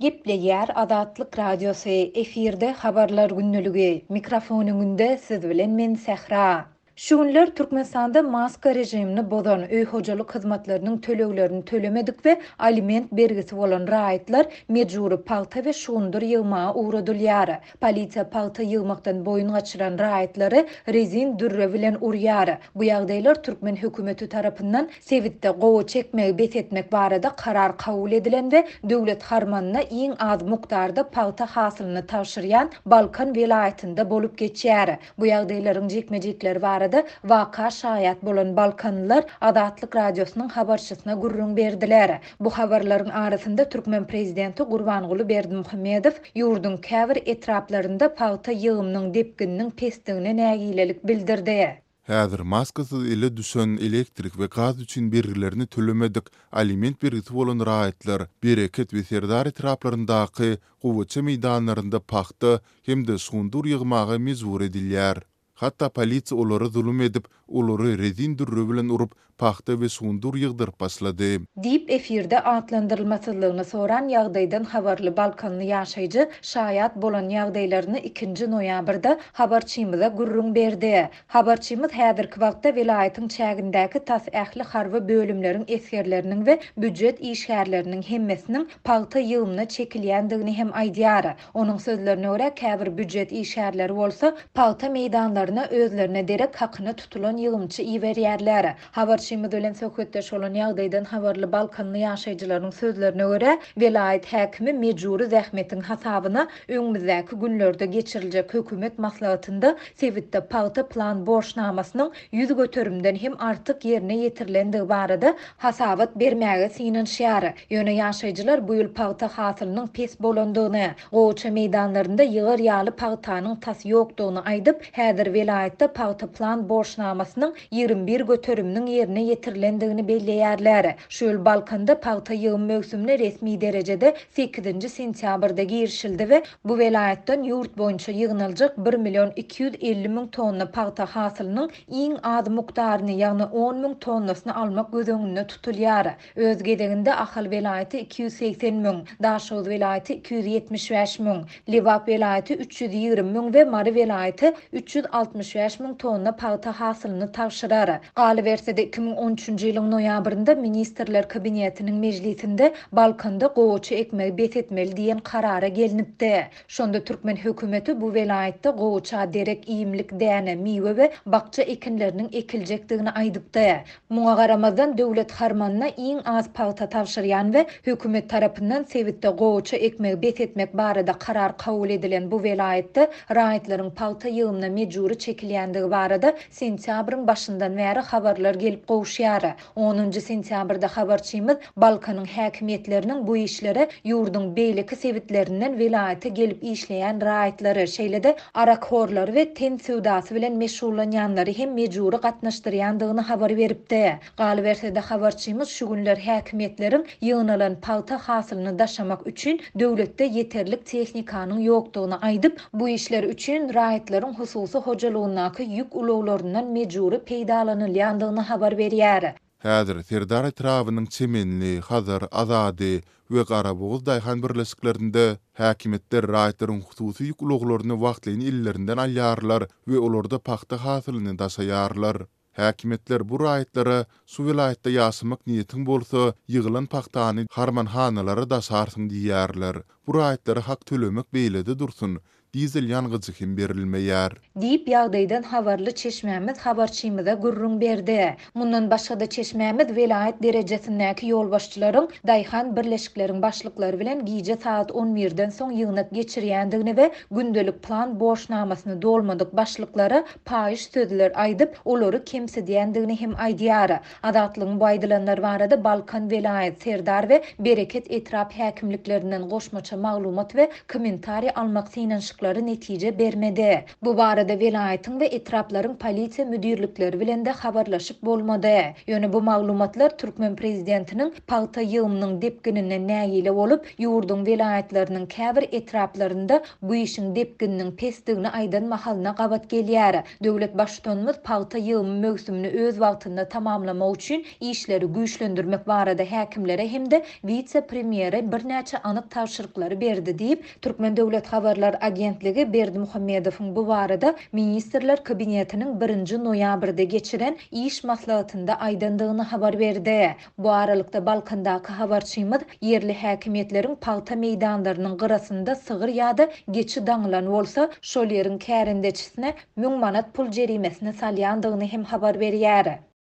Gepleýär Azatlyk Radiosy, efirde Habarlar gündeligi, mikrofon öňünde siz bilen men Sähra. Şu günler Türkmenistanda maska režimini bozan, öý-hojalyk hyzmatlarynyň töleglerini tölemedik we aliment bergisi bolan raýatlar mejbury pagta we şugundyr ýygmaga ugradylýar. Polisiýa pagta ýygmakdan boýun gaçyran raýatlary rezin dürre bilen urýar. Bu ýagdaýlar türkmen hökümeti tarapyndan sebitde gowaça ekmegi bes etmek barada karar kabul edilen we döwlet harmanyna iň az mukdarda pagta hasylyny tabşyrýan Balkan welaýatynda bolup geçýär. Bu ýagdaýlaryň jikme-jikleri barada waka şaýat bolan balkanlylar Azatlyk Radiosynyň habarçysyna gürrüň berdiler. Bu habarlaryň arasynda türkmen prezidenti Gurbanguly Berdimuhamedow ýurduň käbir etraplarynda pagta ýygymynyň depgininiň pesdigine nägilelik bildirdi. Häzir maskasyz ele düşen, elektrik we gaz üçin bergilerini tölemedik, aliment bergisi bolan raýatlar Bereket we Serdar etraplaryndaky gowaça meýdanlarynda pagta hem-de şugundyr ýygmaga mejbur edilýär. Hatda polisiýa olara zulum edip, olary rezin dürre bilen urup, pagta we şugundyr ýygdyryp başlady. Diýip, efirde atlandyrylmasyzlygyny soran ýagdaýdan habarly balkanly ýaşaýjy şaýat bolan ýagdaýlaryny ikinji noýabrda habarçymyza gürrüň berdi. Habarçymyz häzirki wagtda welaýatyň çägindäki tas ähli harby bölümleriň esgerleriniň we býujet işgärleriniň hemmesiniň pagta ýygymyna çekilýändigini hem aýdýar. Onuň sözlerine görä, käbir býujet işgärleri bolsa pagta meýdanlaryna özlerine derek hakyna tutulan ýygymçy iberýärler. Habarçymyz bilen söhbetdeş bolan ýagdaýdan habarly balkanly ýaşaýjylaryň sözlerine görä, welaýat häkimi mejbury zähmetiň hasabyna öňümizdäki günlerde geçiriljek hökümet maslahatynda sebitde pagta plan borçnamasynyň 100 göterimden hem artyk ýerine ýetirilendigi barada hasabat bermäge synanyşýar. Ýöne ýaşaýjylar bu ýyl pagta hasylynyň pes bolandygyny, gowaça meýdanlarynda ýygar ýaly pagtanyň tas ýokdugyny aýdyp, häzir welaýatda pagta plan borçnamasynyň 21 göteriminiň ýerine ýetirilendigini belleýärler. Şu ýyl Balkanda pagta ýygym möwsümine resmi derejede sekizinji sentýabrda girişildi we bu welaýatdan ýurt boýunça ýygnaljak bir million 250 müň tonna pagta hasylynyň iň az mukdaryny, ýagny on müň tonnasyny almak göz öňünde tutulýar. Öz gezeginde Ahal welaýaty 280 müň, Daşoguz welaýaty 275 müň, Lebap welaýaty 320 müň we Mary welaýaty 365 müň tonna pagta hasylyny tabşyrar. Galyberse-de, 2013-nji ýylyň noýabrynda Ministrler Kabinetiniň mejlisinde Balkanda gowaça ekmegi bes etmeli diýen karara gelnipdi. Şonda türkmen hökümeti bu welaýatda gowaça derek iýmlik däne, miwe we bakja ekinleriniň ekiljekdigini aýdypdy. Muňa garamazdan, döwlet harmanyna iň az pagta tabşyrýan we hökümet tarapyndan sebitde gowaça ekmegi bes etmek barada karar kabul edilen bu welaýatda raýatlaryň pagta ýygymyna mejbury çekilýändigi barada sentýabryň başyndan bäri habarlar gelip gowuşýar. Onunjy sentýabrda habarçymyz Balkanyň häkimiýetleriniň bu işlere ýurduň beýleki sebitlerinden welaýata gelip işleýän raýatlary, şeýle-de arakhorlary we ten söwdasy bilen meşgullanýanlary hem mejbury gatnaşdyrýandygyny habar beripdi. Galyberse-de, habarçymyz şu günler häkimiýetleriň ýygnalan pagta hasylyny daşamak üçin döwletde ýeterlik tehnikanyň ýokdugyny aýdyp, bu işler üçin raýatlaryň hususy hojalygyndaky ýük ulaglaryndan mejbury peýdalanylýandygyny habar berýär. Häzir Serdar etrabynyň Çemenli, Hazar, Azady we Garabogaz daýhan birleşiklerinde häkimiýetler raýatlaryň hususy ýük ulaglaryny wagtlaýyn ellerinden alýarlar we olarda pagta hasylyny daşaýarlar. Häkimiýetler bu raýatlara şu welaýatda ýaşamak niýetiň bolsa, ýygylan pagtany harmanhanalara daşarsyň diýýärler. Bu raýatlara hak tölemek beýlede dursun, Dizel ýangyjy hem berilmeýär. Diýip, ýagdaýdan habarly çeşmämiz habarçymyza gürrüň berdi. Mundan başga-da çeşmämiz welaýat derejesindäki ýolbaşçylaryň daýhan birleşikleriň başlyklary bilen gije sagat on birden soň ýygnak geçirýändigini we gündelik plan borçnamasyny dolmadyk başlyklara paýyş sözler aýdyp, olary kemsidýändigini hem aýdýar. Azatlygyň bu aýdylanlar barada Balkan welaýat, Serdar we Bereket etrap häkimliklerinden goşmaça maglumat we kommentariý almak synanyşyklary. synanyşyklary netije bermedi. Bu barada welaýatyň we etraplaryň polisiýa müdirlikleri bilen-de habarlaşyp bolmady. Ýöne bu maglumatlar türkmen prezidentiniň pagta ýygymynyň depgininden nägile bolup, ýurduň welaýatlarynyň käbir etraplarynda bu işiň depgininiň pesdigini aýdan mahalyna gabat gelýär. Döwlet Baştutanymyz pagta ýygymy möwsümini öz wagtynda tamamlamak üçin işleri güýçlendirmek barada häkimlere hem-de wise-premýere birnäçe anyk tabşyryklary berdi diýip, Türkmen döwlet habarlar agentligi Berdimuhamedowyň bu barada Ministrler Kabinetiniň birinji noýabrda geçiren iş maslahatynda aýdandygyny habar berdi. Bu aralykda, Balkandaky habarçymyz ýerli häkimiýetleriň pagta meýdanlarynyň gyrasynda sygyr ýa-da geçi daňylan bolsa, şol ýeriň kärendeçisine 1000 manat pul jerimesini salýandygyny hem habar berýär.